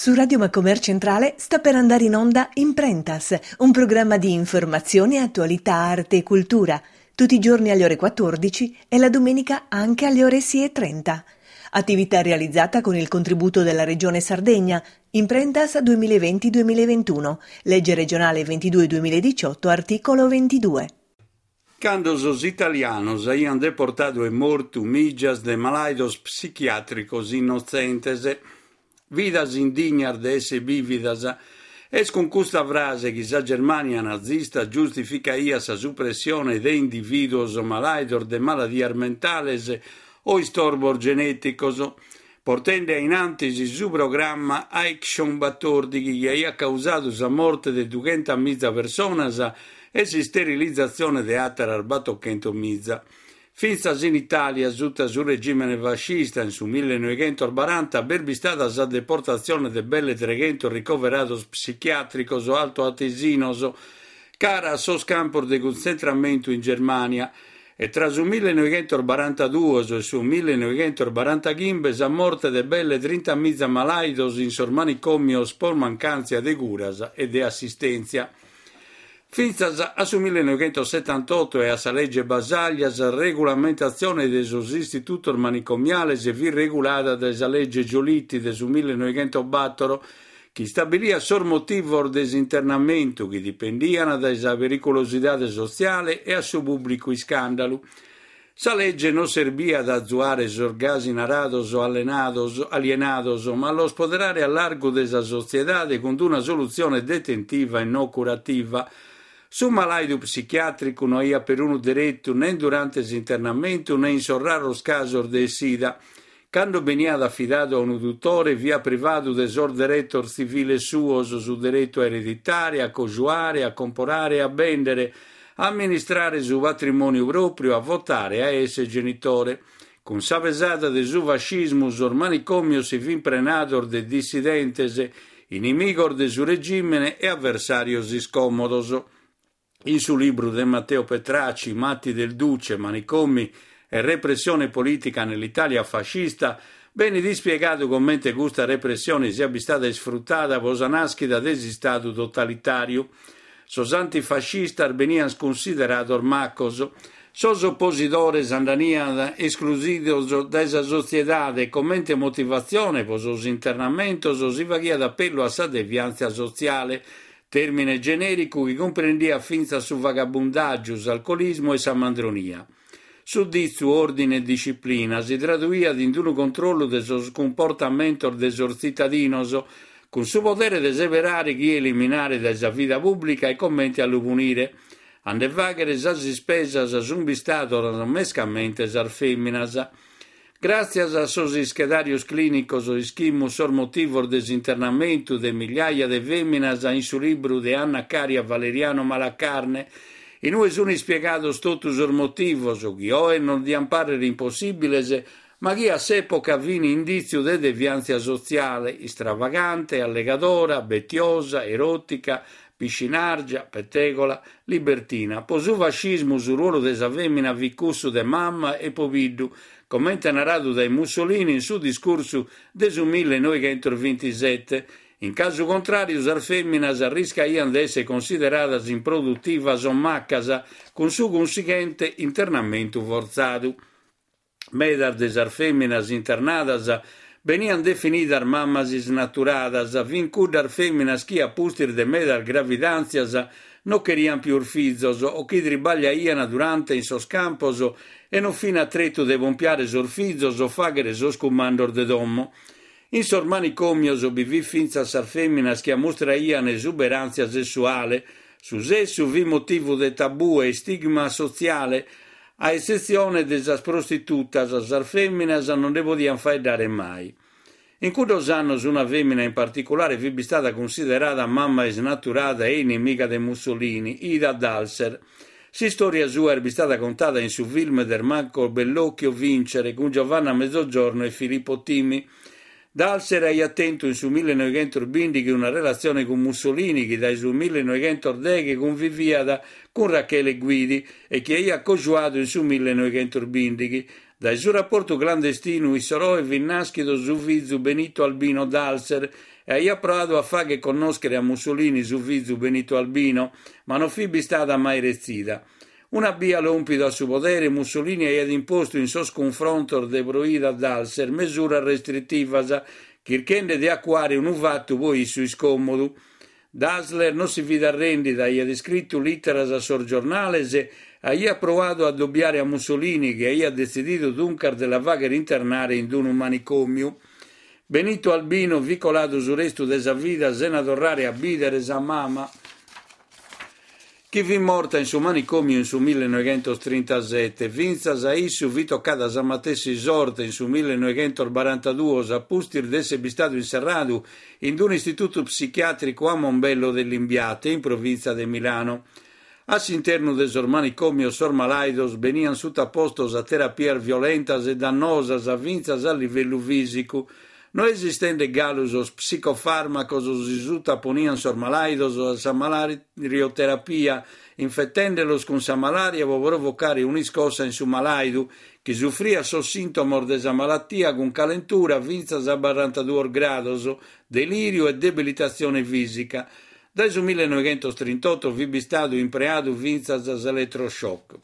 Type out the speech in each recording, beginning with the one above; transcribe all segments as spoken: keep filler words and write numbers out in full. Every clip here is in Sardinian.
Su Radio Macomer Centrale sta per andare in onda Imprentas, un programma di informazione, attualità, arte e cultura, tutti i giorni alle ore quattordici e la domenica anche alle ore sei e trenta. Attività realizzata con il contributo della Regione Sardegna, Imprentas duemilaventi duemilaventuno, legge regionale ventidue duemiladiciotto, articolo ventidue. Cando sos italianos aiant deportadu e mortu mìgias de malàidos psichiàtricos innotzentes, vidas indignas de èssere bìvidas, est cun custa frase chi sa Germània nazista giustificaiat sa supressione de indivìduos malàidos de maladias mentales o istorbos genèticos, portende a in antis su programma Aktion batòrdighi chi aiat causadu sa morte de dughenta miza personas e s'isterilizatzione de àteras batochentos miza. Fintzas in Itàlia, sutta su regìmene fascista, in su millenoighentos baranta, b'est bistada sa deportatzione de belle treghentos ricoverados psichiàtricos altoatesinos cara a sos campos de cuntzentramentu in Germània e tra su millenoighentos barantaduos e su millenoighentos barantaghimbe sa morte de belle trinta miza malàidos in sos manicòmios pro mancàntzia de curas e de assistèntzia. Fintzas a su millenoighentos setantotto e a sa legge Basaglia, sa regulamentatzione de sos istitutos manicomiales fit regulada dae sa legge Giolitti de su millenoighentos bator, chi istabiliat sos motivos de s'internamentu chi dipendiant dae sa periculosidade sotziale e a su pùblicu iscàndalu. Sa legge non serviat a azuare sos gasi narados allenados, alienados, ma a los poderare a largu de sa sotziedade cun una solutzione detentiva e non curativa. Su malàidu psichiàtricu no aiat perunu deretu nen durante s'internamentu né in sos raros casos de essida. Cando beniat afidadu a unu tutore, fiat privadu de sos deretos tziviles suos, su deretu a ereditare, a cojuare, a comporare e a bèndere, a amministrare su patrimòniu pròpiu, a votare e a èssere genitore. Cun sa pesada de su fascismu, sos manicòmios si fin prenados de dissidentes, inimigos de su regìmene e avversàrios iscòmodos. In su libru de Matteo Petracci, Matti del Duce, Manicomi e repressione politica nell'Italia fascista, benit ispiegadu comente custa repressione siat bistada isfrutada pro sa nàschida de s'Istadu totalitàriu. Sos antifascistas beniant cunsiderados macos. Sos opositores andaiant esclusidos dae sa sotziedade e comente motivatzione pro sos internamentos si faghiat appellu a sa deviàntzia sotziale, tèrmine genèricu chi cumprendiat fintzas su vagabundàgiu, s'alcolismu e sa mandronia. Su ditzu ordine e disciplina si traduiat in unu controllu de sos cumportamentos de sos tzitadinos, cun su podere de seberare chie eliminare dae sa vida pùblica e comente a lu punire. A nde fàghere sas ispesas sunt bistadas mescamente sas fèminas. Gràtzias a sos ischedàrios clìnicos ischimus sos motivos de s'internamentu de migliaia de fèminas in su libru de Anna Caria Valeriano Malacarne, in ue sunt ispiegados totu sos motivos chi oe non diant pàrrere impossìbiles, ma chi a s'època fin indìtziu de deviàntzia sotziale, istravagante, allegadora, betiosa, eròtica, piscinàrgia, petegola, libertina. Pro su fascismu su ruolu de sa fèmina fit cussu de mama e pobiddu, comente naradu dae Mussolini in su discursu de su millenoighentos bintisete. In casu contràriu, sas fèminas arriscaiant de èssere consideradas improdutivas o macas, cun su cunsighente internamentu fortzadu. Medas de sas fèminas internadas beniant definidas mamas isnaturadas, fin cuddas fèminas chi, a pustis de medas gravidàntzias, non cheriant pius fizos o chi tribagliaiant durante in sos campos e non fin a tretu de pompiare sos fizos o fàghere sos cumandos de domo. In sos manicòmios bi fit fintzas sas fèminas chi ammustraiant esuberàntzia sessuale. Su sessu fit motivu de tabù e istigma sotziale, a etzetzione de sas prostitutas, sas fèminas non nde podiant faeddare mai. In cuddos annos una fèmina in particulare fit bistada cunsiderada mama isnaturada e inimiga de Mussolini, Ida Dalser. S'istòria sua est bistada contada in su film de Marco Bellocchio Vincere cun Giovanna Mezzogiorno e Filippo Timi. Dalser aiat tentu in su millenoighentos bìndighi una relatzione cun Mussolini, chi dae su millenoighentos deghe cunviviat cun Rachele Guidi e chi aiat cojuadu in su millenoighentos bìndighi. Dae su rapportu clandestinu issoro fit nàschidu su fizu Benito Albino Dalser E aiat proadu a fàghere connòschere a Mussolini su fizu Benito Albino, ma non fit bistada mai retzida. Una bia lòmpidu a su podere, Mussolini aiat impostu in sos cunfrontos de Proida Dalser mesuras restritivas, chirchende de acuare unu fatu pro issu iscòmodu. Dassler non si fit arrèndida, aiat iscritu lìteras a sos giornales e aiat proadu a adobiare a Mussolini, chi aiat detzìdidu duncas de la fàghere internare in unu manicòmiu. Benito Albino fit coladu su restu de sa vida sena torrare a bìdere sa mama, chi fit morta in su manicòmiu in su millenoighentostrintasete. Fintzas a issu fit tocada sa matessi sorte in su millenoighentosbarantaduos, a pustis de èssere bistadu inserradu in un'istitutu psichiàtricu a Mombello de Limbiate, in provìntzia de Milano. A s'internu de sos manicòmios sos malàidos beniant sutapostos a terapias violentas e dannosas fintzas a livellu fìsicu. No esistende galu sos psicofàrmacos si sutaponiant sos malàidos a sa malarioterapia, infetende·los cun sa malària pro provocare un'iscossa in su malàidu, chi sufriat sos sìntomos de sa malatia cun calentura fintzas a barantaduos grados, delìriu e debilitatzione fìsica. Dae su millenoighentostrintoto fit bistadu impreadu fintzas s'eletroshock.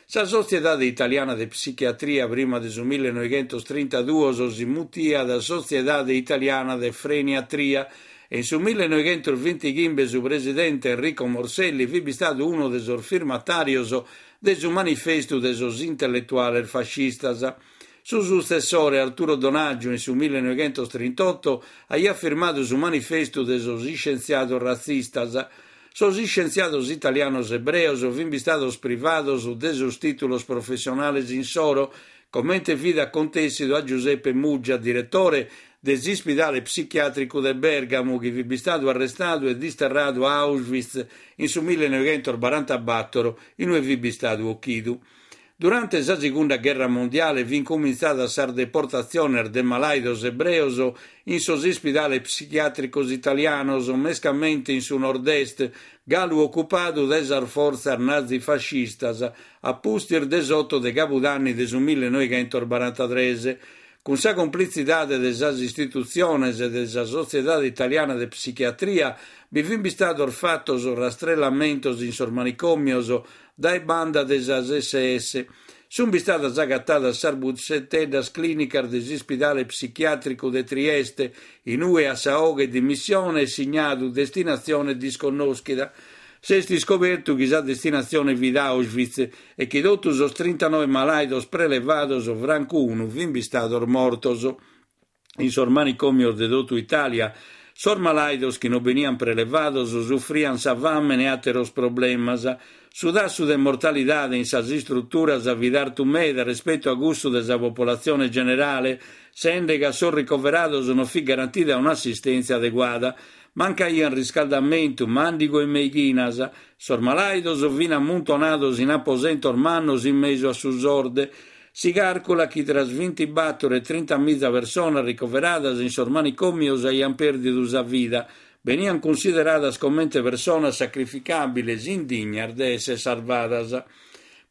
Sa Sotziedade Italiana de Psichiatria prima de su millenoighentostrintaduos si mutiat Sotziedade Italiana de Freniatria e in su millenoighentosbintighimbe su presidente Enrico Morselli fit bistadu unu de sos firmatàrios de su manifestu de sos intelletuales fascistas. Su sutzessore Arturo Donaggio in su millenoighentostrintoto aiat firmadu su manifestu de sos iscientziados ratzistas. Sos iscientziados italianos ebreos fin bistados privados de sos tìtulos professionales insoro, comente fit acontèssidu a Giuseppe Muggia, diretore de s'ispidale psichiàtricu de Bèrgamu, chi fit bistadu arrestadu e disterradu a Auschwitz in su millenoighentosbarantabator, in ue fit bistadu ochidu. Durante sa Segunda Gherra Mondiale fin cumintzadas sas deportatziones de malàidos ebreos in sos ispidales psichiàtricos italianos, mescamente in su nord-est, galu ocupadu dae sas fortzas nazifascistas, a pustis de s'oto de Cabudanni de su millenoighentosbarantatres. Cun sa complitzidade de sas istitutziones de sa Sotziedade Italiana de Psichiatria bi fin bistados fatos rastrellamentos in sos manicòmios dae banda de sas S S. Sunt bistadas agatadas sas busseteddas clìnicas de s'ispidale psichiàtricu de Trieste, in ue a sa 'oghe dimissione est signadu destinatzione disconnòschida. S'est iscobertu chi sa destinatzione fit Auschwitz e chi totu sos trintanoe malàidos prelevados, francu unu, fin bistados mortos. In sos manicòmios de totu Itàlia, sos malàidos chi non beniant prelevados sufriant sa fàmene e àteros problemas. Su tassu de mortalidade in sas istruturas fit artu meda respetu a cussu de sa populatzione generale, sende chi a sos ricoverados non fit garantida un'assistèntzia adeguada. Mancaiant riscaldamentu, màndigu e meighinas. Sos malàidos fin ammuntonados in aposentos mannos in mesu a su sorde. Si càrculat chi tra bintibator e trinta miza personas ricoveradas in sos manicòmios aiant pèrdidu sa vida. Beniant cunsideradas comente personas sacrificàbiles, indignas de èssere sarvadas.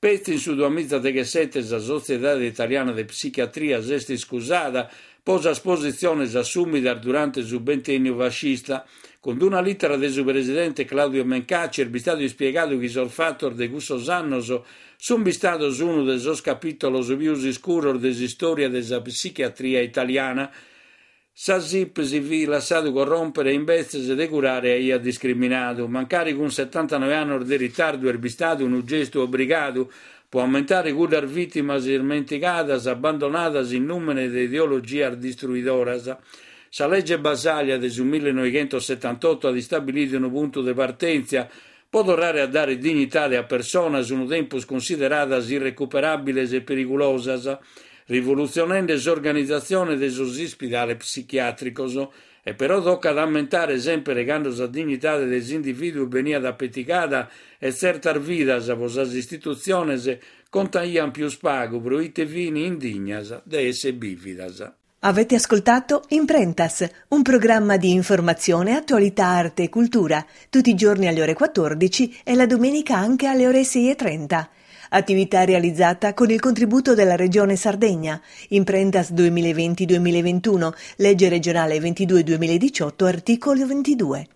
Petzi in su duamiza deghessete sa Sotziedade Italiana de Psichiatria s'est iscusada pro sas positziones assùmidas durante su bentènniu fascista. Cun una lìtera de su presidente Claudio Mencacci est bistadu ispiegadu chi sos fatos de cussos annos sunt bistados unu de sos capìtulos pius iscuros de s'istòria de sa psichiatria italiana. Sa S I P si fit lassadu corròmpere e imbetzes de curare aiat discriminadu. Mancari cun setantanoe annos de ritardu est bistadu unu gestu obrigadu pro ammentare cuddas vìtimas ismentigadas, abbandonadas in nùmene de ideologias distruidoras. Sa lege Basaglia de su millenoighentossetantoto at istabilidu unu puntu de partèntzia pro torrare a dare dignidade a personas unu tempus cunsideradas irrecuperàbiles e perigulosas, rivolutzionende s'organizatzione de sos ispidales psichiàtricos. E però tocat a ammentare semper cando sa dignidade de s'indivìduu beniat apetigada e tzertas vidas pro sas istitutziones contaiant pius pagu pro ite fin indignas de èssere bìvidas. Avete ascoltato Imprentas, un programma di informazione, attualità, arte e cultura, tutti i giorni alle ore quattordici e la domenica anche alle ore sei e trenta. Attività realizzata con il contributo della Regione Sardegna. Imprentas duemilaventi-duemilaventuno, legge regionale ventidue duemiladiciotto, articolo ventidue.